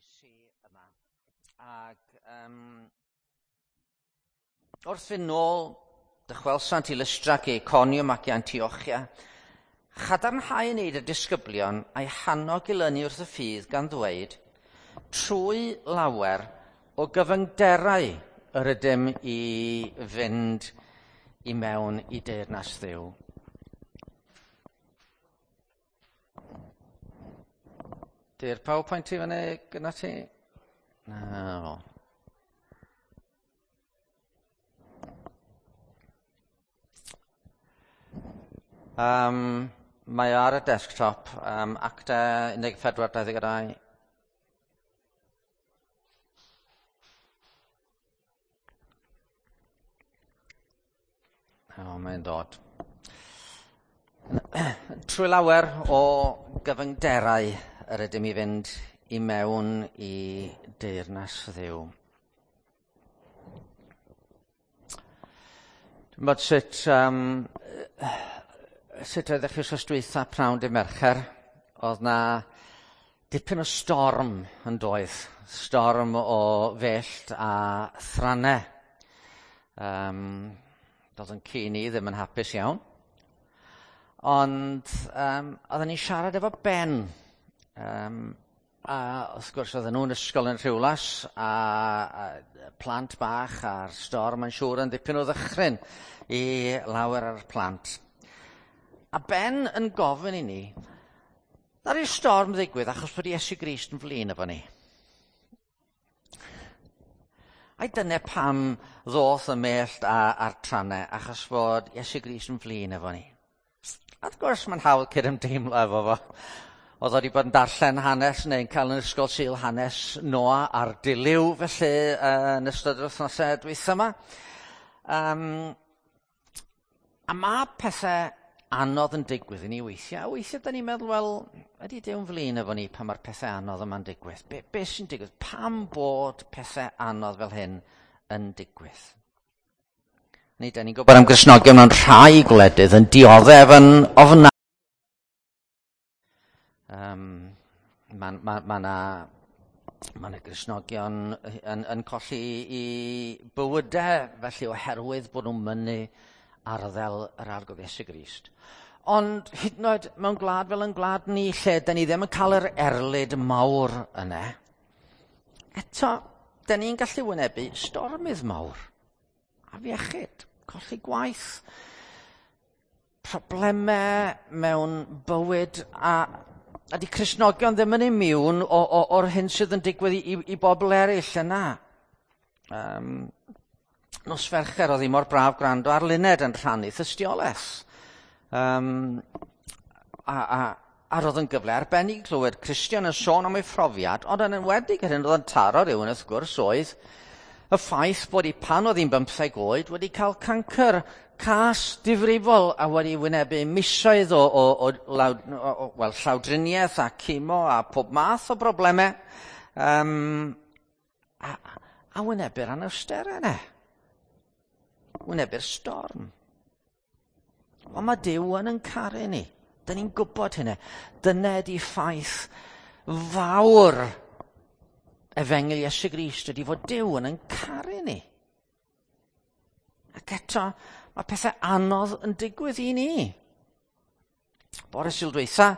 eglwysi yma. Ac wrth fynd nôl, dychwelsant i Lystra ac i Iconium ac i Antiochia, chadarnhau yn neud y disgyblion a'i hannog i lynu wrth y ffydd gan ddweud, trwy lawer o gyfyngderau yr ydym i fynd i mewn i deyrnas Dduw. Di'r PowerPoint i fyny gyda ti? Na. Mae o ar y desktop, Acta 14:22. O, mae'n dod. Trwy lawer o gyfyngderau yr ydym i fynd i mewn i deyrnas Dduw. Dwi'n bod sut, sut oeddech chi wrth dwytha pnawn dy Mercher? Oedd na dipyn o storm yn doedd. Storm o fellt a thrannau. Doedd yn ci ni ddim yn hapus iawn. Ond oedden ni'n siarad efo Ben. A wrth gwrs oedden nhw'n ysgol yn Rhiwlas a plant bach a'r storm yn siŵr yn ddipyn o ddychryn i lawer ar y plant. A Ben yn gofyn i ni, ddaru'r storm ddigwydd achos bod Iesu Grist yn flin efo ni. Ai dyna pam ddoth y mellt a'r trannau, achos bod Iesu Grist yn flin efo ni. A wrth gwrs mae'n hawdd cydymdeimlo efo fo. Oedd o wedi bod yn darllen hanes neu'n cael yn ysgol Sul hanes Noa a'r Dilyw felly yn ystod yr wythnosau dwytha yma. A mae pethau anodd yn digwydd i ni weithiau. A weithiau da ni'n meddwl, wel, ydy Duw'n flin efo ni pan mae'r pethau anodd yma'n digwydd? Be sy'n digwydd? Pam bod pethau anodd fel hyn yn digwydd? Ni, da ni'n gwybod am Gristnogion mewn rhai gwledydd yn dioddef yn ofnadwy. Mae 'na Gristnogion yn colli i bywydau felly oherwydd bod nhw'n mynnu arddel yr Arglwydd Iesu Grist. Ond hyd yn oed mewn gwlad fel yn gwlad ni lle da ni ddim yn cael yr erlid mawr yna, eto da ni'n gallu wynebu stormydd mawr. Afiechyd, colli gwaith, problemau mewn bywyd a di Cristnogion ddim yn immune o'r hyn sydd yn digwydd i bobl eraill yna. Nos Fercher oedd hi mor braf gwrando ar Luned yn rhannu thystiolaeth. A roedd yn gyfle arbennig clywed Cristion yn sôn am ei phrofiad, ond yn enwedig yr hyn oedd yn taro rhywun wrth gwrs oedd y ffaith bod hi pan oedd hi'n 15 oed wedi cael cancr cas difrifol a wedi wynebu misoedd o llawdriniaeth a chemo a pob math o broblemau a wynebu'r anawsterau yna. Wynebu'r storm. Ond mae Duw yn caru ni. Dyn ni'n gwybod hynny. Dyna ydi ffaith fawr Efengyl Iesu Grist ydi fod Duw yn caru ni. Ac eto, mae pethau anodd yn digwydd i ni. Bore Sul dwytha,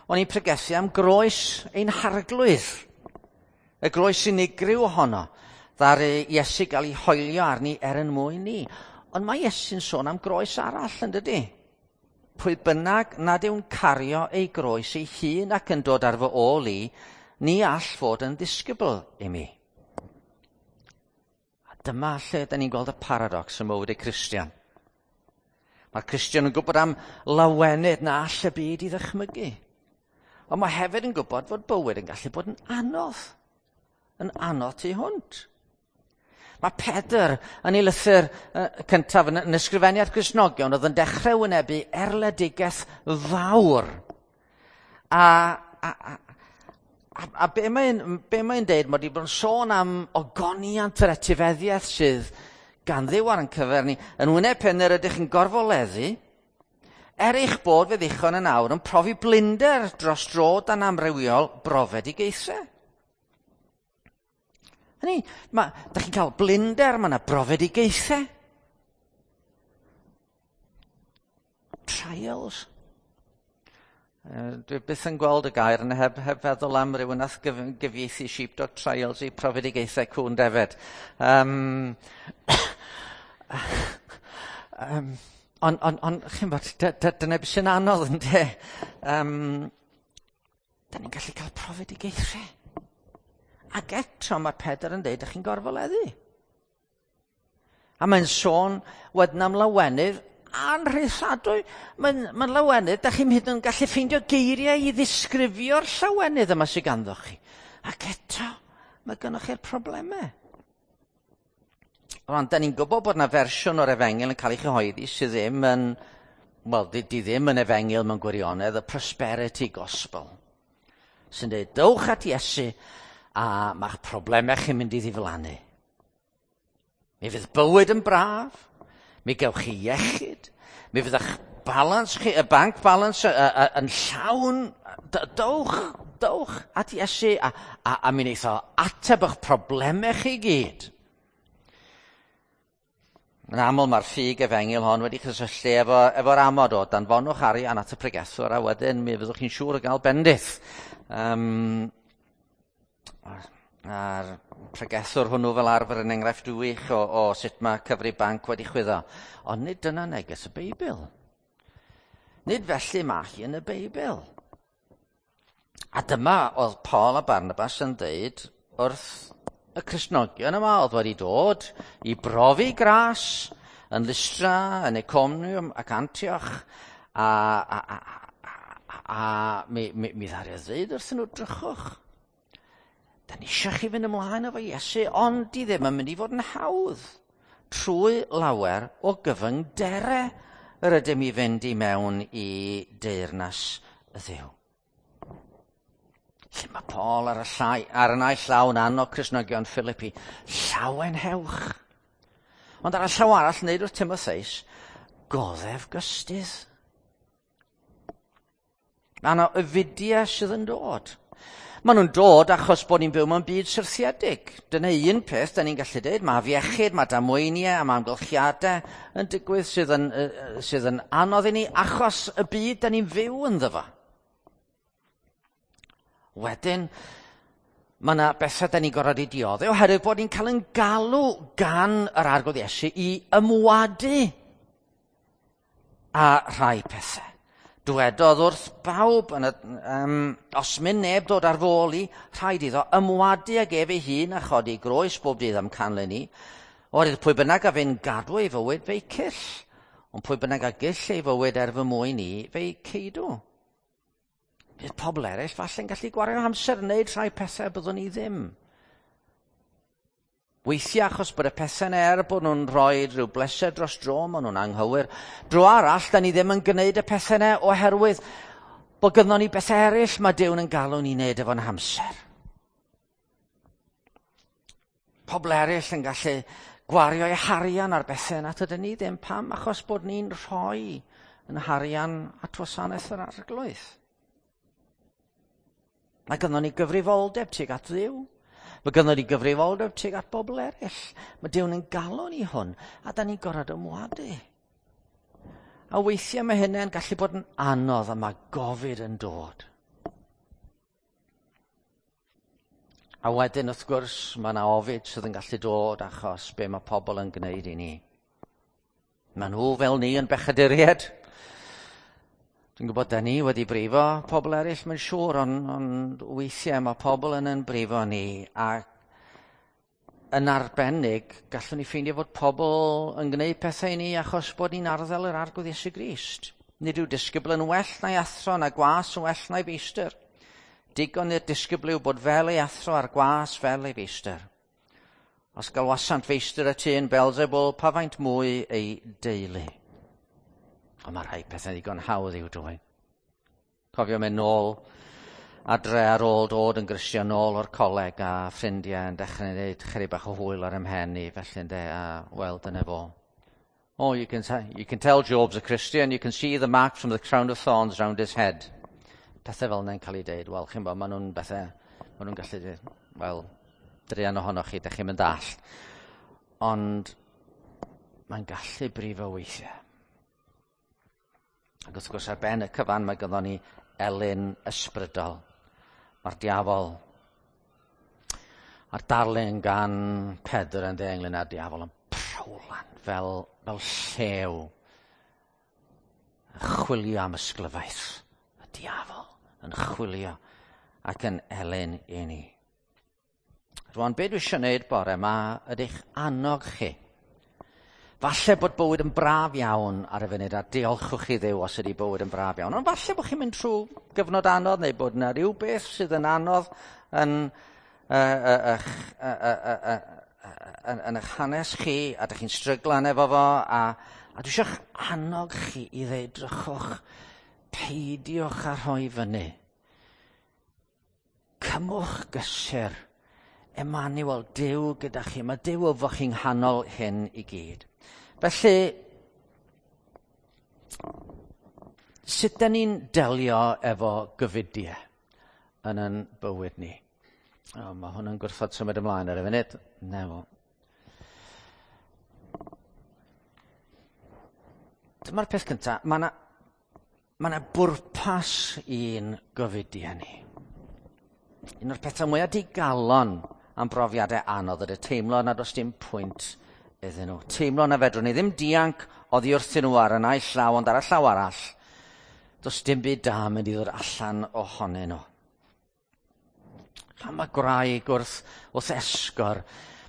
o'n i'n pregethu am groes ein harglwydd. Y groes unigryw ohono, ddaru Iesu gael ei hoelio arni er yn mwyn ni. Ond mae Iesu'n sôn am groes arall, yn dydi? Pwy bynnag nad yw'n cario ei groes ei hun ac yn dod ar fy ôl i, ni all fod yn ddisgybl i mi. A dyma lle da ni'n gweld y paradox ym mywyd y Cristion. Mae'r Cristion yn gwybod am lawenydd na all y byd i ddychmygu. Ond mae hefyd yn gwybod fod bywyd yn gallu bod yn anodd. Yn anodd tu hwnt. Mae Pedr yn ei lythyr cyntaf yn ysgrifennu at Gristnogion oedd yn dechrau wynebu erledigaeth fawr. A be mae'n deud, mae wedi bod yn sôn am ogoniant yr etifeddiaeth sydd gan Dduw ar ein cyfer ni. Yn wyneb pen yr ydych yn gorfoleddu, er eich bod fe ddichon yn awr yn profi blinder dros dro dan amrywiol brofedigaethau. Hynny, da chi'n cael blinder, mae yna brofedigaethau. Trials. Dwi byth yn gweld y gair yna heb feddwl am rywun nath gyfieithu sheepdog trials i profedigaethau cŵn defed. Ond chi'n bod, dyna beth sy'n anodd ynde. Da ni'n gallu cael profedigaethau. Ac eto mae Pedr yn dweud, da chi'n gorfoleddu. A mae'n sôn wedyn am lawenydd anrheithadwy. Mae'n lawenydd, da chi'n hyd yn gallu ffeindio geiriau i ddisgrifio'r llawenydd yma sydd ganddo chi. Ac eto, mae gynnoch chi'r problemau. Rwan, da ni'n gwybod bod yna fersiwn o'r efengyl yn cael ei chyhoeddi sydd ddim yn, wel, di ddim yn efengyl mewn gwirionedd, y prosperity gospel. Sy'n dweud, dowch at Iesu a mae'ch problemau chi'n mynd i ddiflannu. Mi fydd bywyd yn braf, mi gewch chi iechyd, mi fydd eich balans chi, y bank balance yn llawn. Dowch at Iesu a mi wneith o ateb eich problemau chi gyd. Yn aml mae'r ffug efengyl hon wedi cysylltu efo'r amod o danfonwch arian at y pregethwr a wedyn mi fyddwch chi'n siŵr o gael bendith. A'r pregethwr hwnnw fel arfer yn enghraifft wych o sut mae cyfri banc wedi chwyddo. Ond nid dyna neges y Beibl. Nid felly mae hi yn y Beibl. A dyma oedd Paul a Barnabas yn dweud wrth y Cristnogion yma oedd wedi dod i brofi gras yn Lystra, yn Iconium ac Antioch, a mi ddaru ddeud wrthyn nhw, drychwch. Da ni eisiau chi fynd ymlaen efo Iesu, ond di ddim yn mynd i fod yn hawdd. Trwy lawer o gyfyngderau yr ydym i fynd i mewn i deyrnas y Dduw. Lle mae Paul ar y naill llaw yn annog Cristnogion Philippi, llawenhewch. Ond ar y llaw arall, wneud wrth Timotheus, goddef gystudd. Mae yna ofidiau sydd yn dod. Maen nhw'n dod achos bod ni'n byw mewn byd syrthiedig. Dyna un peth da ni'n gallu dweud. Mae afiechyd, mae damweiniau a mae amgylchiadau yn digwydd sydd yn anodd i ni achos y byd da ni'n fyw ynddo fo. Wedyn, mae yna bethau da ni'n gorfod eu dioddef oherwydd bod ni'n cael ein galw gan yr Arglwydd Iesu i ymwadu a rhai pethau. Dwedodd wrth bawb, os mynd neb dod ar fôl i, rhaid iddo ymwadu ag ef ei hun a chodi groes bob dydd am canlyn i. Oherwydd pwy bynnag a fynd gadw ei fywyd fe'i cyll, ond pwy bynnag a gyll ei fywyd er fy mwyn i, fe'i ceidw. Bydd pobl eraill falle'n gallu gwario amser yn wneud rhai pethau byddwn ni ddim. Weithiau achos bod y pethau'n bod nhw'n rhoi rhyw bleser dros dro, maen nhw'n anghywir. Dro arall, da ni ddim yn gwneud y pethau yna oherwydd bod gynnon ni bethau eraill mae Duw yn galw ni wneud efo'n hamser. Pobl eraill yn gallu gwario eu harian ar bethau yna, tydyn ni ddim. Pam? Achos bod ni'n rhoi yn harian at wasanaeth yr Arglwydd. Mae gynnon ni gyfrifoldeb tuag at Dduw. Mae gynnon ni gyfrifoldeb tuag at bobl eraill. Mae Duw yn galw ni hwn, a da ni'n gorfod ymwadu. A weithiau mae hynny'n gallu bod yn anodd a mae gofid yn dod. A wedyn, wrth gwrs, mae yna ofid sydd yn gallu dod achos be mae pobl yn gwneud i ni. Mae nhw fel ni yn bechaduriaid. Dwi'n gwybod da ni wedi brifo pobl eraill, mae'n siŵr, ond weithiau mae pobl yn brifo ni, ac yn arbennig, gallwn ni ffeindio fod pobl yn gwneud pethau i ni achos bod ni'n arddel yr Arglwydd Iesu Grist. Nid yw disgybl yn well na'i athro, na gwas yn well na'i feistr. Digon i'r disgybl yw bod fel ei athro a'r gwas fel ei feistr. Os galwasant feistr y tŷ yn Belzebul, pa faint mwy ei deulu. Ond mae rhai pethau ddigon hawdd i'w dwyn. Cofio mynd nôl adre ar ôl dod yn Gristion nôl o'r coleg a ffrindiau yn dechrau gwneud chydig bach o hwyl ar ymhen i, felly ynde, a wel, dyna fo. Oh, you can tell Job's a Christian, you can see the mark from the crown of thorns round his head. Pethau fel yna'n cael ei deud, wel, chi'n bod, maen nhw'n bethau, maen nhw'n gallu dweud, wel, Druan ohonoch chi, dych chi'n mynd all. Ond mae'n gallu brifo weithiau. Ac wrth gwrs ar ben y cyfan mae ganddo ni elyn ysbrydol. Mae'r diafol a'r darlun gan Pedr yn ynglyn â'r diafol yn prawlan fel, fel llew yn chwilio am ysglyfaeth. Y diafol yn chwilio ac yn elyn i ni. Rwan, be dwi eisiau gwneud bore yma ydych annog chi. Falle bod bywyd yn braf iawn ar y funud, a diolchwch chi Dduw os ydy bywyd yn braf iawn. Ond falle bod chi'n mynd trwy gyfnod anodd, neu bod yna rhyw beth sydd yn anodd yn, yn eich hanes chi, a dych chi'n stryglan efo fo, a, a dwi eisiau annog chi i ddweud, drychwch, peidiwch â rhoi fyny. Cymwch gysur. Emmanuel, Duw gyda chi. Mae Duw efo chi'n nghanol hyn i gyd. Felly, sut da ni'n delio efo gyfudiau yn yn bywyd ni? O, mae hwn yn gwrthod symud ymlaen ar y funud. Nefo. Dyma'r peth cyntaf. Mae yna ma bwrpas i'n gofidiau ni. Un o'r pethau mwyaf digalon am brofiadau anodd ydy teimlo nad oes dim pwynt iddyn nhw. Teimlo na fedrwn ni ddim dianc oddi wrthyn nhw ar y naill llaw ond ar y llaw arall. Does dim byd da mynd i ddod allan ohonyn nhw. Pan mae gwraig wrth, wrth esgor,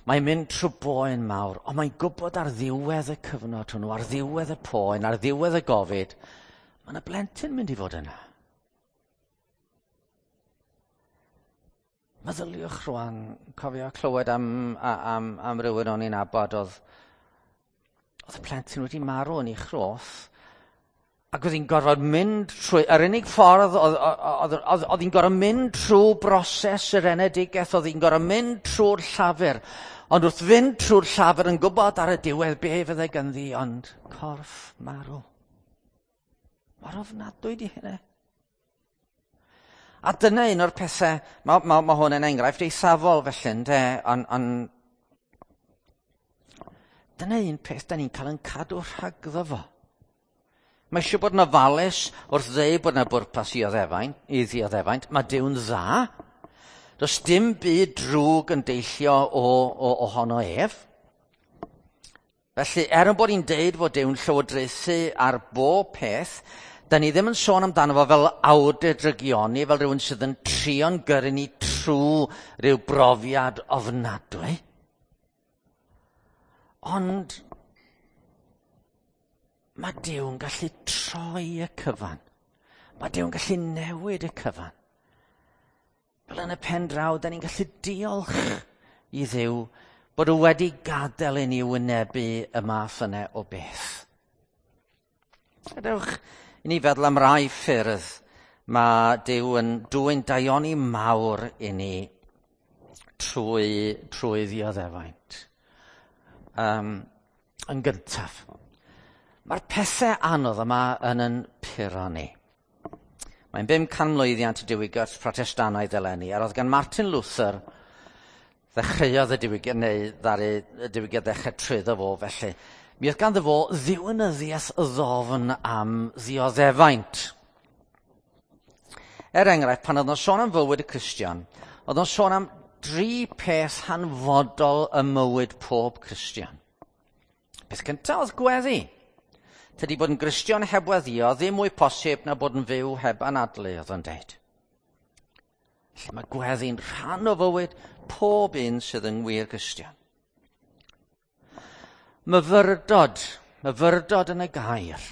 mae'n mynd trwy boen mawr, ond mae'n gwybod ar ddiwedd y cyfnod hwnnw, ar ddiwedd y poen, ar ddiwedd y gofid, mae yna blentyn mynd i fod yna. Meddyliwch rwan, cofio clywed am, am, am rywun o'n i'n abod, oedd, oedd y plentyn wedi marw yn ei chroth, ac oedd hi'n gorfod mynd trwy, yr unig ffordd, oedd, oedd, oedd, oedd hi'n gorfod mynd trwy broses yr enedigaeth, oedd hi'n gorfod mynd trwy'r llafur, ond wrth fynd trwy'r llafur yn gwybod ar y diwedd be fydde ganddi, ond corff marw. Mor ofnadwy di hynny. A dyna un o'r pethau, mae, ma, ma hwn yn enghraifft eithafol felly, ynde, ond on, dyna un peth da ni'n cael yn cadw rhagddo fo. Mae eisiau bod yn ofalus wrth ddeud bod yna bwrpas i oddeffaint, i ddioddefaint. Mae Duw'n dda. Does dim byd drwg yn deillio o, o, ohono ef. Felly, er yn bod ni'n deud fod Duw'n llywodraethu ar bob peth, da ni ddim yn sôn amdano fo fel awdur drygioni, fel rhywun sydd yn trio'n gyrru ni trwy rhyw brofiad ofnadwy. Ond mae Duw'n gallu troi y cyfan. Mae Duw'n gallu newid y cyfan. Fel yn y pen draw, da ni'n gallu diolch i Dduw bod o wedi gadael i ni wynebu y math yna o beth. Gadewch i ni feddwl am rai ffyrdd mae Duw yn dwyn daioni mawr i ni trwy, trwy ddioddefaint. Um, yn gyntaf, mae'r pethau anodd yma yn yn puro ni. Mae'n 500 mlwyddiant y diwygiad Protestannaidd eleni, a roedd gan Martin Luther ddechreuodd y diwygiad, neu ddaru y diwygiad ddechrau trwyddo fo felly. Mi oedd ganddo fo ddiwinyddiaeth ddofn am ddioddefaint. Er enghraifft, pan oedd o'n sôn am fywyd y Cristion, oedd o'n sôn am dri peth hanfodol ym mywyd pob Cristion. Peth cyntaf oedd gweddi. Tydi bod yn Gristion heb weddio ddim mwy posib na bod yn fyw heb anadlu, oedd o'n deud. Felly mae gweddi'n rhan o fywyd pob un sydd yn wir Gristion. Myfyrdod, myfyrdod yn y gair.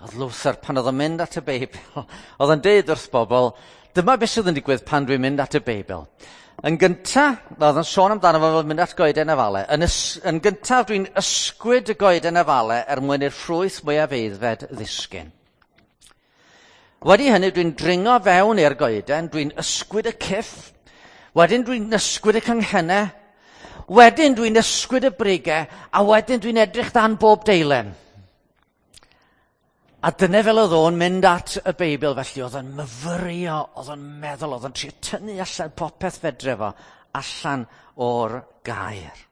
Oedd Luther, pan oedd o'n mynd at y Beibl, oedd o'n deud wrth bobl, dyma beth sydd yn digwydd pan dwi'n mynd at y Beibl. Yn gyntaf, oedd o'n sôn amdano fo fel mynd at goeden afale. Yn, ys, yn gyntaf, dwi'n ysgwyd y goeden afale er mwyn i'r ffrwyth mwyaf eiddfed ddisgyn. Wedi hynny, dwi'n dringo fewn i'r goeden, dwi'n ysgwyd y cyff, wedyn dwi'n ysgwyd y canghennau, wedyn dwi'n ysgwyd y brigau, a wedyn dwi'n edrych dan bob deilen. A dyna fel oedd o'n mynd at y Beibl, felly oedd o'n myfyrio, oedd o'n meddwl, oedd o'n trio tynnu allan popeth fedre fo allan o'r gair.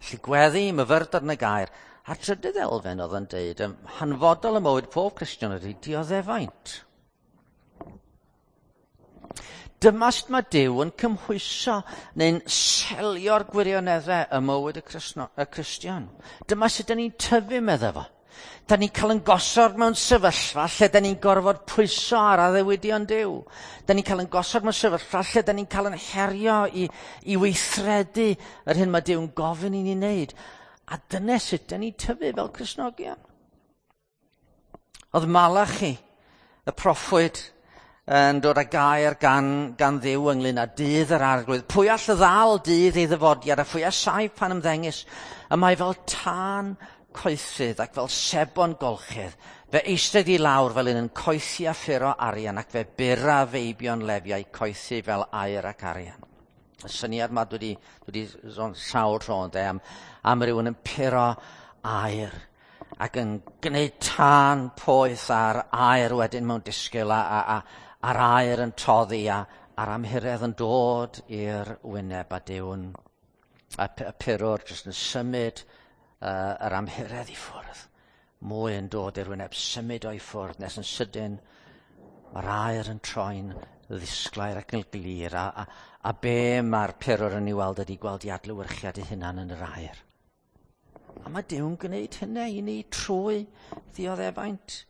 Felly gweddi, myfyrdod yn y gair. A'r trydydd elfen oedd yn deud, hanfodol y mywyd pob Cristion ydy dioddefaint. Dyma sut mae Duw yn cymhwyso neu'n selio'r gwirioneddau y mywyd y, Crisno, y Cristion. Dyma sut dyn ni'n tyfu, medda fo. Da ni'n cael yn gosod mewn sefyllfa lle da ni'n gorfod pwyso ar addewidion Duw. Da ni'n cael yn gosod mewn sefyllfa lle da ni'n cael yn herio i, i weithredu yr hyn mae Duw'n gofyn i ni wneud. A dyna sut da ni'n tyfu fel Cristnogion. Oedd Malachi, y proffwyd, yn dod â gair gan, gan Dduw ynglyn â dydd yr arglwydd. Pwy all ddal dydd ei ddyfodiad a phwy a saif pan ymddengys? Y mae fel tân coethydd ac fel sebon golchydd. Fe eistedd i lawr fel un yn coethi a ffuro arian ac fe bura feibion lefiau coethi fel aur ac arian. Y syniad yma dwi wedi, dwi wedi sôn sawl tro ynde, am, am rywun yn puro aur ac yn gwneud tân poeth a'r aur wedyn mewn disgyl a, a, a, a'r aur yn toddi a, a'r amhuredd yn dod i'r wyneb a Duw'n a, y purwr jyst yn symud uh, yr amhuredd i ffwrdd. Mwy yn dod i'r wyneb, symud o'i ffwrdd nes yn sydyn mae'r aur yn troi'n ddisglair ac yn glir a, a, a be mae'r purwr yn ei weld ydy gweld i adlewyrchiad ei hunan yn yr aur. A mae Duw'n gwneud hynny i ni trwy ddioddefaint.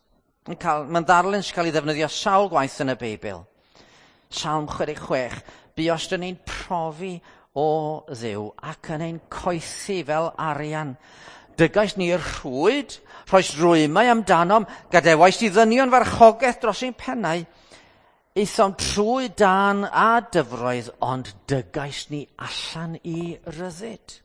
Mae'n cael, mae'n ddarlun sy'n cael ei ddefnyddio sawl gwaith yn y Beibl. Salm 66, buos dyn ni'n profi o Dduw ac yn ein coethi fel arian. Dygais ni'r rhwyd, rhoes rwymau amdanom, gadewais i ddynion farchogaeth dros ein pennau. Aethom trwy dan a dyfroedd, ond dygais ni allan i ryddid.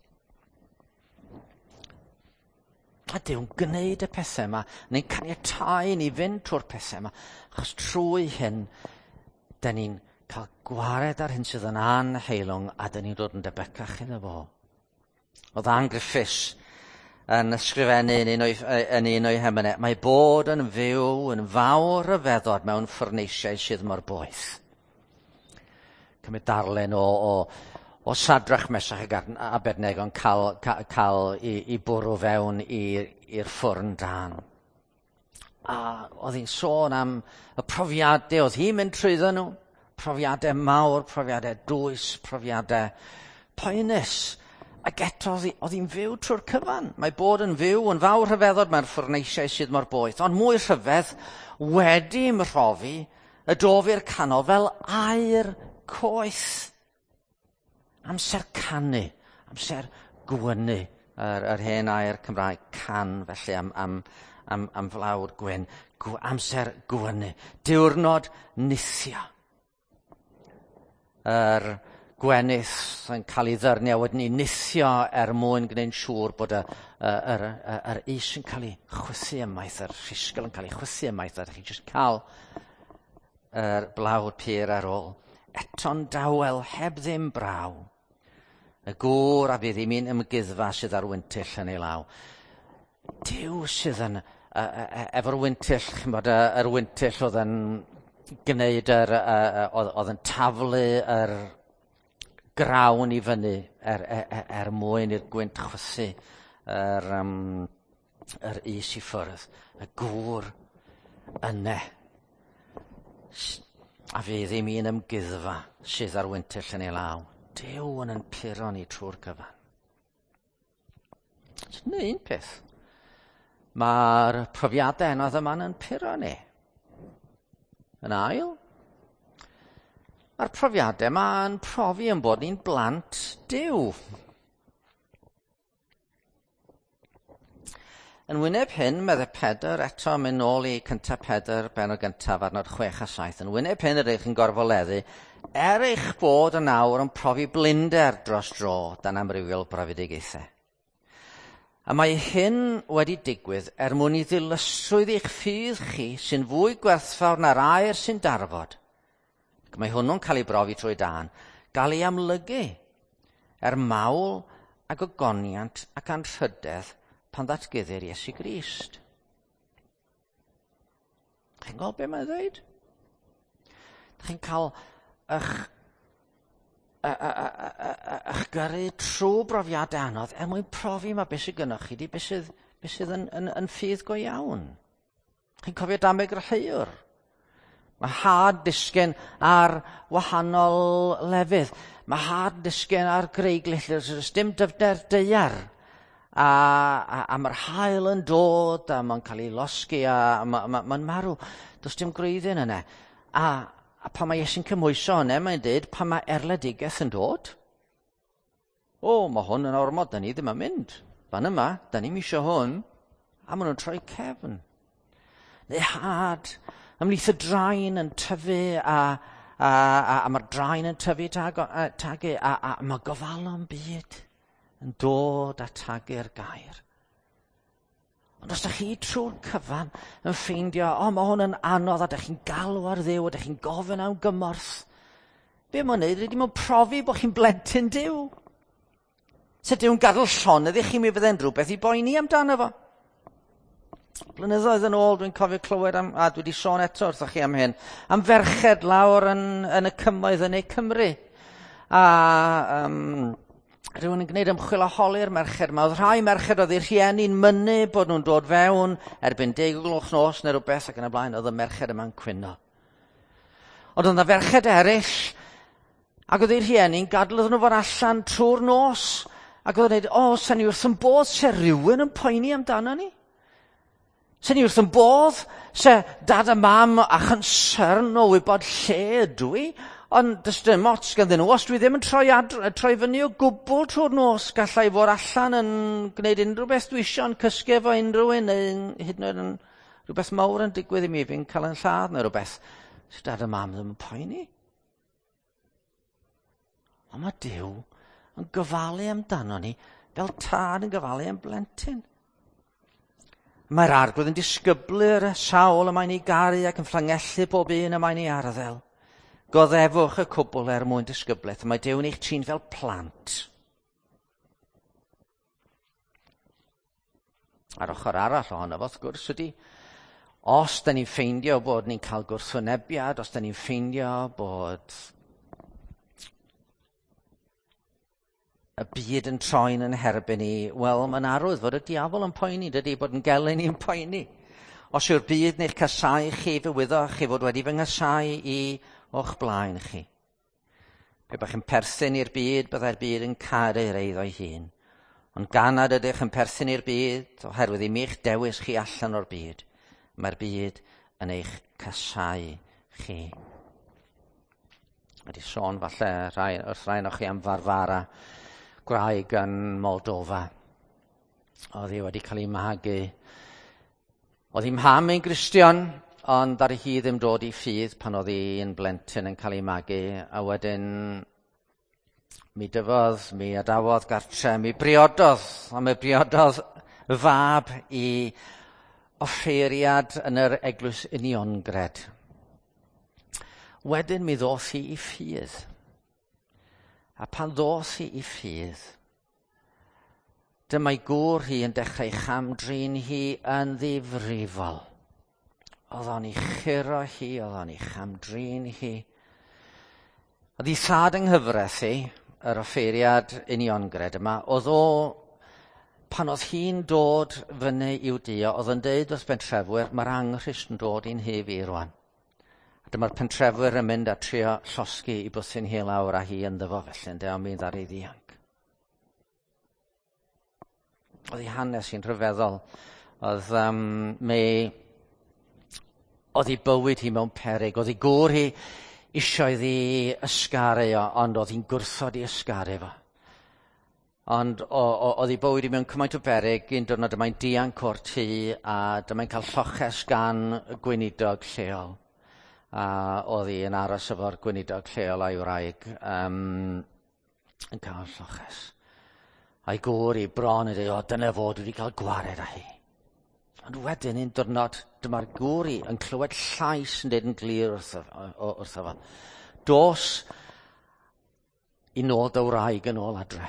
A Duw'n gwneud y pethau yma, neu'n caniatáu ni fynd trwy'r pethau yma, achos trwy hyn, da ni'n cael gwared ar hyn sydd yn anheilwng, a da ni'n dod yn debycach iddo fo. Oedd Ann Griffiths yn ysgrifennu yn un o'i, yn un o'i hemynau, mae bod yn fyw yn fawr ryfeddod mewn ffwrneisiau sydd mor boeth. Cymryd darllen o, o, o Sadrach, Mesach ac Abednego yn cael, cael, cael i, i bwrw fewn i'r ffwrn dân. A oedd hi'n sôn am y profiadau oedd hi'n mynd trwyddo nhw. Profiadau mawr, profiadau dwys, profiadau poenus. Ac eto oedd hi'n fyw trwy'r cyfan. Mae bod yn fyw yn fawr rhyfeddod mae'r ffwrneisiau sydd mor boeth. Ond mwy rhyfedd wedi mhrofi y dof i'r canol fel aur coeth. Amser canu, amser gwynu, yr, yr hen air Cymraeg can felly am, am, am, am flawd gwyn, amser gwynu, diwrnod nithio. Yr gwenith yn cael ei ddyrnu a wedyn ei nithio er mwyn gwneud siŵr bod y, y, yr, y, yr is yn cael ei chwythu ymaith, yr rhisgl yn cael ei chwythu ymaith, a chi jyst cael yr blawd pur ar ôl. Eto'n dawel, heb ddim braw. Y gŵr a fydd i mi'n ymguddfa sydd ar wyntyll yn ei law. Duw sydd yn, efo'r wyntyll, ch'mod, yr wyntyll oedd yn gwneud yr, oedd, oedd yn taflu yr grawn i fyny er, er, er, er mwyn i'r gwynt chwythu yr, um, yr is i ffwrdd. Y gŵr yne. A fydd i mi'n ymguddfa sydd ar wyntyll yn ei law. Duw yn yn puro ni trwy'r cyfan. Dyna un peth. Mae'r profiadau anodd yma'n yn puro ni. Yn ail, mae'r profiadau yma'n profi yn bod ni'n blant Duw. Yn wyneb hyn, meddai Pedr, eto mynd nôl i cyntaf Pedr, benod gyntaf, adnod 6 a 7. Yn wyneb hyn yr eich yn gorfoleddu, er eich bod yn awr yn profi blinder dros dro dan amrywiol brofedigaethau. A mae hyn wedi digwydd er mwyn i ddilysrwydd eich ffydd chi sy'n fwy gwerthfawr na'r aur sy'n darfod. Ac mae hwnnw'n cael ei brofi trwy dân, gael ei amlygu er mawl ac ogoniant ac anrhydedd pan ddatguddir Iesu Grist. Chi'n gweld be mae'n dweud? Chi'n cael eich Ych gyrru trwy brofiadau anodd er mwyn profi mae beth sydd gynnwch chi di beth sydd, beth sydd yn ffydd go iawn. Chi'n cofio dameg yr heuwr? Mae had disgyn ar wahanol lefydd. Mae had disgyn ar greiglill, does dim dyfnder daear. A mae'r haul yn dod a mae'n cael ei losgi a mae'n marw. Does dim gwreiddyn yna. A pan mae Iesu'n cymhwyso hwnna, mae'n dweud pan mae erledigaeth yn dod, o, mae hwn yn ormod, da ni ddim yn mynd. Fan yma, da ni'n isio hwn, a maen nhw'n troi cefn. Neu had, ymhlith y draen yn tyfu a mae'r draen yn tyfu tagu a mae gofalon byd yn dod a tagu'r gair. Ond os ydych chi trwy'r cyfan yn ffeindio, o, mae hwn yn anodd, a ydych chi'n galw ar Dduw, a ydych chi'n gofyn am gymorth, be mae'n neud ydy mae'n profi bod chi'n blentyn Duw. Se Duw'n gadael llonydd i chi, mi fydde'n rhywbeth i boeni amdano fo. Blynyddoedd yn ôl, dwi'n cofio clywed am, a dwi wedi sôn eto wrthoch chi am hyn, am ferched lawr yn y cymoedd yn ei Cymru. A rhywun yn gwneud ymchwil a holi'r merched yma. Oedd rhai merched oedd eu rhieni'n mynnu bod nhw'n dod fewn erbyn 10 gloch nos neu rhywbeth ac yn y blaen, oedd y merched yma'n cwyno. Ond oedd yna ferched eraill, ac oedd eu rhieni'n gadael iddyn nhw fod allan trwy'r nos, ac oedd yn dweud, o, sen ni wrth yn bodd se rhywun yn poeni amdano ni. Se ni wrth yn bodd, se dad a mam a chonsern o wybod lle ydw i, ond does dim ots ganddyn nhw. Os dwi ddim yn troi fyny o gwbl trwy'r nos, gallai fod allan yn gwneud unrhyw beth dwi isio, yn cysgu efo unrhyw un, neu hyd yn oed yn rhywbeth mawr yn digwydd i mi, fi'n cael yn lladd neu rhywbeth. So dad a mam ddim yn poeni. Ond mae Duw yn gofalu amdano ni fel tad yn gofalu am blentyn. Mae'r Arglwydd yn disgyblu'r sawl y mae'n ei garu ac yn fflangellu bob un y mae'n ei arddel. Goddefwch y cwbl er mwyn disgyblaeth. Mae Duw'n eich trin fel plant. A'r ochr arall ohono fo, wrth gwrs, ydy, os da ni'n ffeindio bod ni'n cael gwrthwynebiad, os da ni'n ffeindio bod y byd yn troi'n yn herbyn ni, wel, mae'n arwydd fod y diafol yn poeni, dydy, bod yn gelyn ni'n poeni. Os yw'r byd neu'ch casau chi, fe wyddoch chi fod wedi fy nghasau i o'ch blaen chi. Pe bach yn perthyn i'r byd, byddai'r byd yn caru'r eiddo'i hun. Ond gan nad ydych yn perthyn i'r byd, oherwydd i mi'ch dewis chi allan o'r byd, mae'r byd yn eich casau chi. Wedi sôn falle wrth rhai o'ch chi am Farfara, gwraig yn Moldova. Oedd hi wedi cael ei magu. Oedd hi mham yn Gristion, ond ar hi ddim dod i ffydd pan oedd hi'n blentyn yn cael ei magu. A wedyn mi dyfodd, mi adawodd gartre, mi briododd, a mi briododd fab i offeiriad yn yr Eglwys Uniongred. Wedyn mi ddoth hi i ffydd. A pan ddoth hi i ffydd, dyma'i gŵr hi yn dechrau chamdrin hi yn ddifrifol. Oedd o'n ei churo hi, oedd o'n ei chamdrin hi. Oedd ei thad yng nghyfraith hi, yr offeiriad uniongred yma, oedd o, pan oedd hi'n dod fyny i'w dio, oedd yn deud wrth bentrefwyr, mae'r anghrist yn dod i'n hyf i rwan. A dyma'r pentrefwyr yn mynd a trio llosgi i bwthyn hi lawr a hi ynddo fo felly, ynde, ond mi ddaru ddianc. Oedd ei hanes hi'n rhyfeddol. Oedd, oedd ei bywyd hi mewn peryg. Oedd ei gŵr hi isio iddi ysgaru o, ond oedd hi'n gwrthod i ysgaru fo. Ond oedd ei bywyd i mewn cymaint o beryg, un diwrnod yma'n dianc o'r tŷ a dyma'n cael lloches gan y gweinidog lleol. A oedd hi yn aros efo'r gweinidog lleol a'i wraig yn cael lloches. A'i gŵr i bron yn dweud, o, dyna fo, dwi wedi cael gwared â hi. Ond wedyn un diwrnod, dyma'r gŵr i yn clywed llais yn dweud yn glir wrtho fo. Dos i nôl dy wraig yn ôl adre.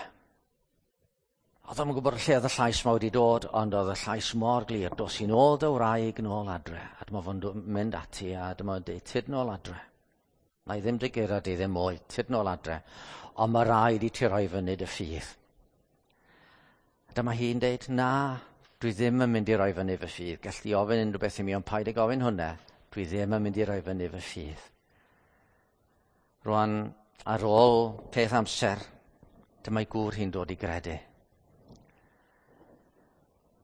Oedd o'm yn gwybod lle oedd y llais ma wedi dod, ond oedd y llais mor glir. Dos i nôl dy wraig nôl adre. A dyma fo'n mynd ati a dyma fo'n deud, tyd nôl adre. Na i ddim dy guro di ddim mwy, tyd nôl adre. Ond mae rhaid i ti roi fyny dy ffydd. A dyma hi'n deud, na, dwi ddim yn mynd i roi fyny fy ffydd. Gallu ofyn unrhyw beth i mi, ond paid ag ofyn hwnna. Dwi ddim yn mynd i roi fyny fy ffydd. Rwan, ar ôl peth amser, dyma'i gŵr hi'n dod i gredu.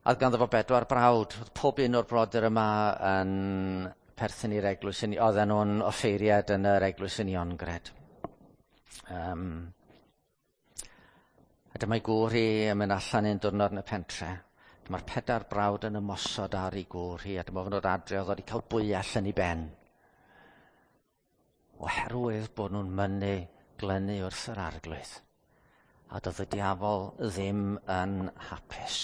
A oedd ganddo fo 4 brawd. Oedd pob un o'r brodyr yma yn perthyn i'r eglwys. Oedden nhw'n offeiriad yn yr eglwys Uniongred. A dyma'i gŵr hi yn mynd allan un diwrnod yn y pentre. Dyma'r 4 brawd yn ymosod ar ei gŵr hi, a dyma fo'n dod adre, oedd wedi cael bwyell yn ei ben. Oherwydd bod nhw'n mynnu glynu wrth yr Arglwydd. A doedd y diafol ddim yn hapus.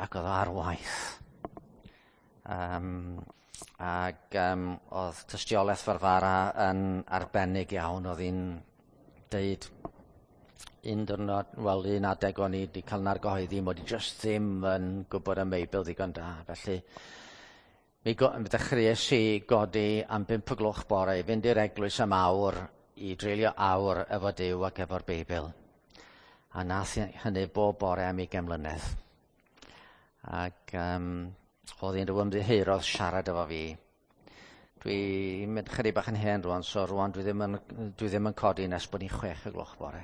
Ac oedd o ar waith. Oedd tystiolaeth Farfara yn arbennig iawn. Oedd hi'n deud un diwrnod, wel un adeg o'n i wedi cael nargyhoeddi mod i jyst ddim yn gwybod am Beibl ddigon da. Felly mi ddechreuais i godi am 5 o gloch bore i fynd i'r eglwys am awr i dreulio awr efo Duw ac efo'r Beibl. A nath hynny bob bore am 20 mlynedd. Ac oedd hi'n rhyw ymddiheurodd siarad efo fi. Dwi'n mynd chydig bach yn hen rwan, so rwan dwi ddim yn codi nes bod ni'n 6 o gloch bore.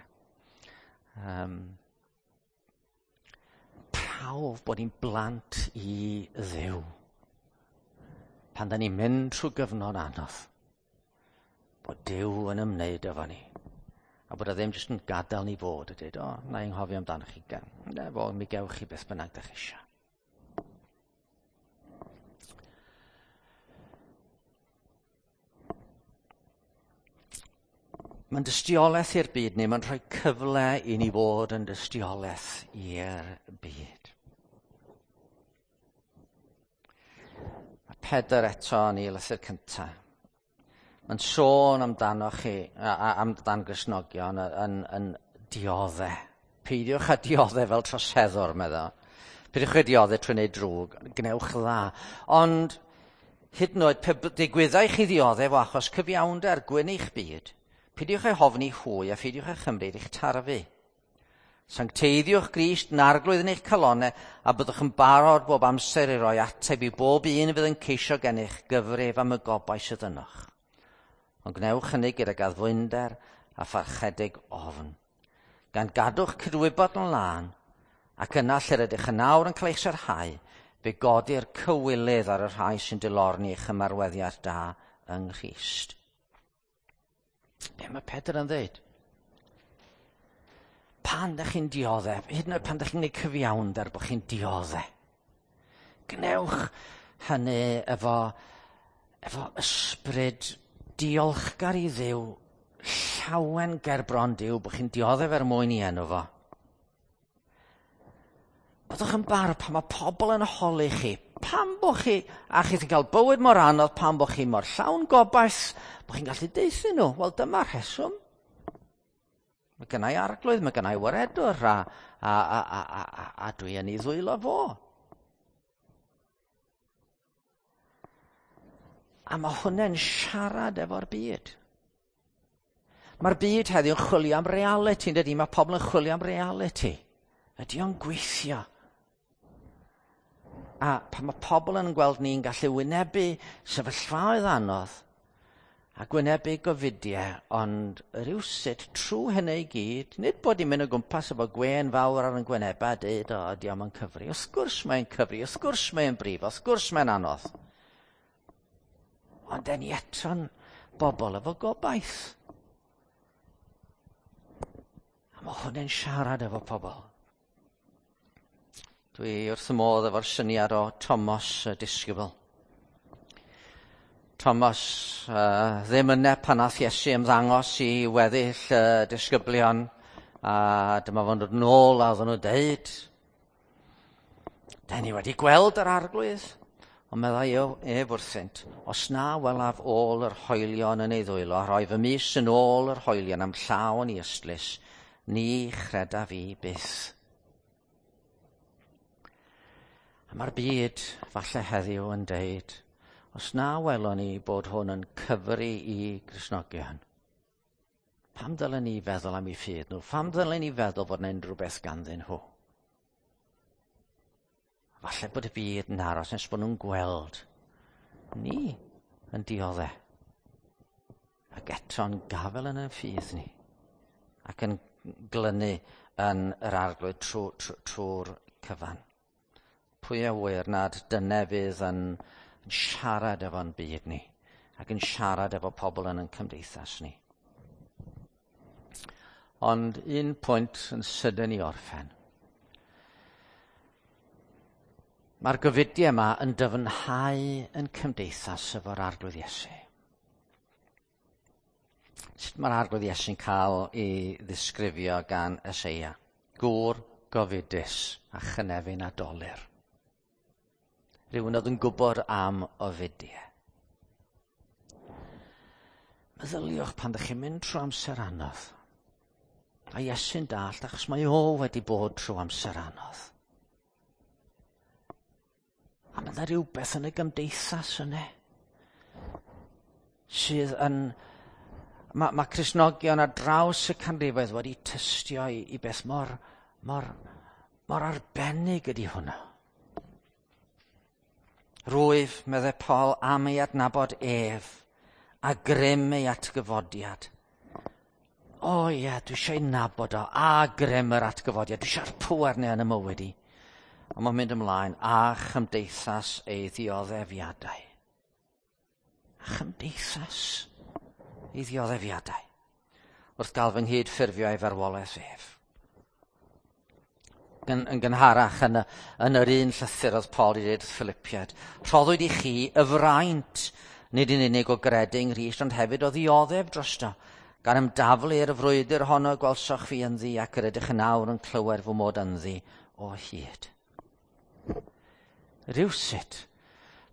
Prawf bod ni'n blant i Dduw. Pan da ni'n mynd trwy gyfnod anodd, bod Duw yn ymwneud efo ni. A bod o ddim jyst yn gadael ni fod a dweud, o, na i'n nghofio amdano chi. Na fo, mi gewch chi beth bynnag da chi eisiau. Mae'n dystiolaeth i'r byd ni, mae'n rhoi cyfle i ni fod yn dystiolaeth i'r byd. Mae Pedr eto yn ei lythyr cyntaf. Mae'n sôn amdano chi, amdan Gristnogion yn dioddau. Peidiwch â dioddau fel troseddwr, meddwl. Peidiwch â dioddau trwy wneud drwg, gwnewch dda. Ond hyd yn oed pe digwyddai chi ddioddef o achos cyfiawnder gwyn eich byd, peidiwch â'i hofni hwy a pheidiwch â chymryd eich tarfu. Sancteiddiwch Grist yn arglwydd yn eich calonau a byddwch yn barod bob amser i roi ateb i bob un fydd yn ceisio gennych gyfrif am y gobaith sydd ynoch. Ond gwnewch hynny gydag addfwynder a pharchedig ofn. Gan gadw'ch cydwybod yn lân, ac yna lle rydych yn awr yn cael eich sarhau, fe godi'r cywilydd ar y rhai sy'n dilorni eich ymarweddiad da yng Nghrist. Be mae Pedr yn dweud? Pan ydych chi'n dioddef, hyd yn oed pan ydych chi'n gwneud cyfiawnder bod chi'n dioddef, gwnewch hynny efo ysbryd diolchgar i Dduw, llawen ger bron Duw, bod chi'n dioddef er mwyn i enw fo. Byddwch yn barod pan mae pobl yn holi chi, pam bo chi, a chi sy'n cael bywyd mor anodd, pam bo chi mor llawn gobaith, bo chi'n gallu deuthu nhw. Wel, dyma'r rheswm. Mae gennai arglwydd, mae gennai waredwr, a dwi yn ei ddwylo fo. A mae hwnna'n siarad efo'r byd. Mae'r byd heddiw yn chwilio am reality, yn dydi? Mae pobl yn chwilio am reality. Ydy o'n gweithio? A pan mae pobl yn gweld ni'n gallu wynebu sefyllfaoedd anodd a gwynebu gofidiau, ond rywsut trwy hynny i gyd, nid bod ni'n mynd o gwmpas efo gwên fawr ar yn gwynebau a dweud, o, ydy o'm yn cyfri. Wrth gwrs mae'n cyfri, wrth gwrs mae'n brif, wrth gwrs mae'n anodd. Ond den ni eto'n bobl efo gobaith. A mae hwnna'n siarad efo pobl. Dwi wrth y modd efo'r syniad o Thomas y disgybl. Thomas ddim yna pan nath Iesu ymddangos i weddill y disgyblion, a dyma fo'n dod nôl a oedden nhw'n deud, "Den ni wedi gweld yr arglwydd." Ond meddai ef wrthynt, "Os na welaf ôl yr hoelion yn ei ddwylo, a rhoi fy mys yn ôl yr hoelion am llaw yn ei ystlys, ni chredaf i byth." A mae'r byd falle heddiw yn deud, Os na welon ni bod hwn yn cyfri i Gristnogion, pam ddylen ni feddwl am eu ffydd nhw? Pam ddylen ni feddwl bod yna unrhyw beth ganddyn nhw? Falle bod y byd yn aros nes bod nhw'n gweld ni yn diodde. Ac eto'n gafel yn ein ffydd ni. Ac yn glynu yn yr Arglwydd trwy'r cyfan. Pwy a ŵyr nad dyne fydd yn siarad efo'n byd ni ac yn siarad efo pobl yn ein cymdeithas ni. Ond un pwynt yn sydyn i orffen. Mae'r gofidiau yma yn dyfnhau yn cymdeithas efo'r Arglwydd Iesu. Sut mae'r Arglwydd Iesu'n cael ei ddisgrifio gan Eseia? Gŵr gofidus a chynefin a dolur. Rhywun oedd yn gwybod am ofidiau. Meddyliwch pan ddech chi'n mynd trwy amser anodd. A Iesu'n dallt achos mae o wedi bod trwy amser anodd. A mae yna rhywbeth yn y gymdeithas yna sydd yn... Mae Cristnogion ar draws y canrifoedd wedi tystio i beth mor, mor, mor arbennig ydy hwnna. Rwyf, meddai Paul, am ei adnabod ef a grym ei atgyfodiad. O ie, dwi eisiau ei nabod o, a grym yr atgyfodiad. Dwi eisiau'r pŵer neu yn y mywyd i. Ond mae'n mynd ymlaen, a chymdeithas ei ddioddefiadau. A chymdeithas ei ddioddefiadau. Wrth gael fy nghyd-ffurfio ei farwolaeth ef. Yn gynharach yn yr un llythyr oedd Paul i ddeud wrth Philippiaid, rhoddwyd i chi y fraint, nid yn unig o gredu yng Nghrist, ond hefyd o ddioddef drosto, gan ymdaflu i'r frwydr honno gwelsoch fi ynddi ac yr ydych yn awr yn clywed fy mod ynddi o hyd. Rywsut,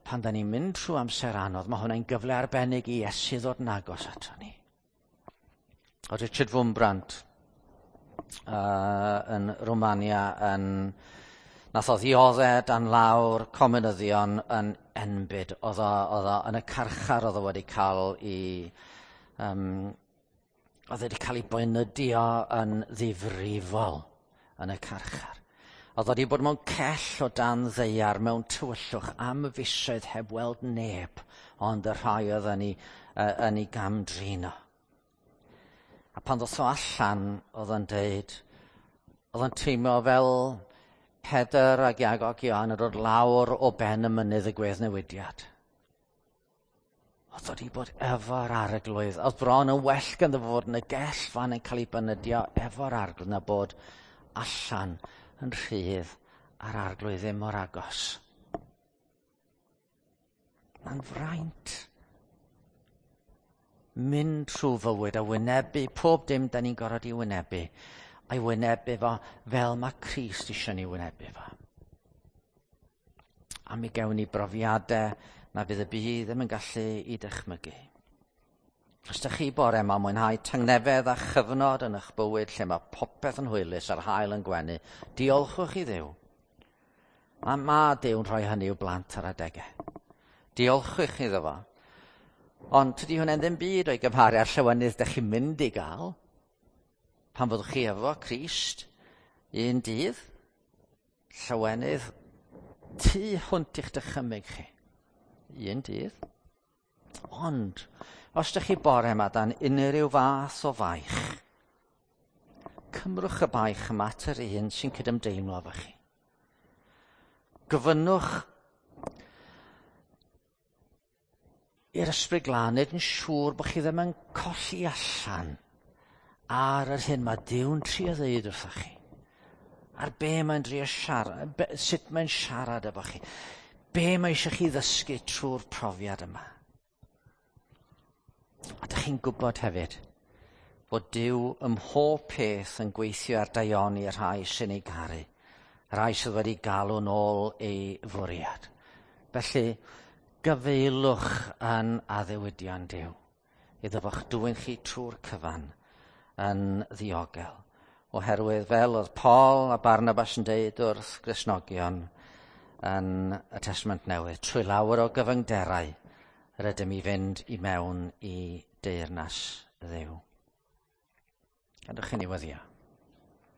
pan da ni'n mynd trwy amser anodd, mae hwnna'n gyfle arbennig i Iesu ddod yn agos ato ni. O Richard Wurmbrand yn Romania yn nath o ddioddef dan lawr comunyddion yn enbyd. Oedd o yn y carchar oedd o wedi cael ei oedd wedi cael ei boenydio yn ddifrifol yn y carchar. Oedd wedi bod mewn cell o dan ddaear mewn tywyllwch am fisoedd heb weld neb, ond y rhai oedd yn ei gamdrin o. A pan ddoth o allan, oedd o'n deud, oedd o'n teimlo fel Pedr ac Iago ac Ioan yn dod lawr o ben y mynydd y gweddnewidiad. Oedd wedi bod efo'r Arglwydd. Oedd bron yn well ganddo fod yn y gell fan yn cael ei bynydio efo'r Arglwydd na bod allan yn rhydd a'r Arglwydd ddim mor agos. Mae'n fraint mynd trwy fywyd a wynebu pob dim da ni'n gorfod i wynebu, a'i wynebu fo fel mae Crist eisiau ni wynebu fo. A mi gewn ni brofiadau na fydd y byd ddim yn gallu i dychmygu. Os ydych chi bore yma mwynhau tangnefedd a chyfnod yn eich bywyd lle mae popeth yn hwylus a'r haul yn gwenu, diolchwch i Dduw. A mae Duw'n rhoi hynny i'w blant ar adegau. Diolchwch iddo fo. Ond tydi hwnna'n ddim byd o'i gymharu â'r llawenydd ydych chi'n mynd i gael pan fyddwch chi efo Crist un dydd, llawenydd tu hwnt i'ch dychymyg chi. Un dydd. Ond, os ydych chi bore yma dan unrhyw fath o faich, cymrwch y baich yma at yr un sy'n cydymdeimlo efo chi. Gofynnwch i'r Ysbryd Glân wneud yn siŵr bod chi ddim yn colli allan ar yr hyn mae Duw'n trio ddeud wrthoch chi. Ar be mae'n drio siarad, sut mae'n siarad efo chi. Be mae eisiau chi ddysgu trwy'r profiad yma. A dych chi'n gwybod hefyd fod Duw ym mhob peth yn gweithio ar daioni y rhai sy'n ei garu, y rhai sydd wedi galw nôl ei fwriad. Felly, gyfeilwch yn addewidion Duw, iddo fo'ch dwyn chi trwy'r cyfan yn ddiogel. Oherwydd fel oedd Paul a Barnabas yn deud wrth Gristnogion yn y Testament Newydd, trwy lawer o gyfyngderau yr ydym i fynd i mewn i deyrnas Dduw. Gadewch i ni weddïo.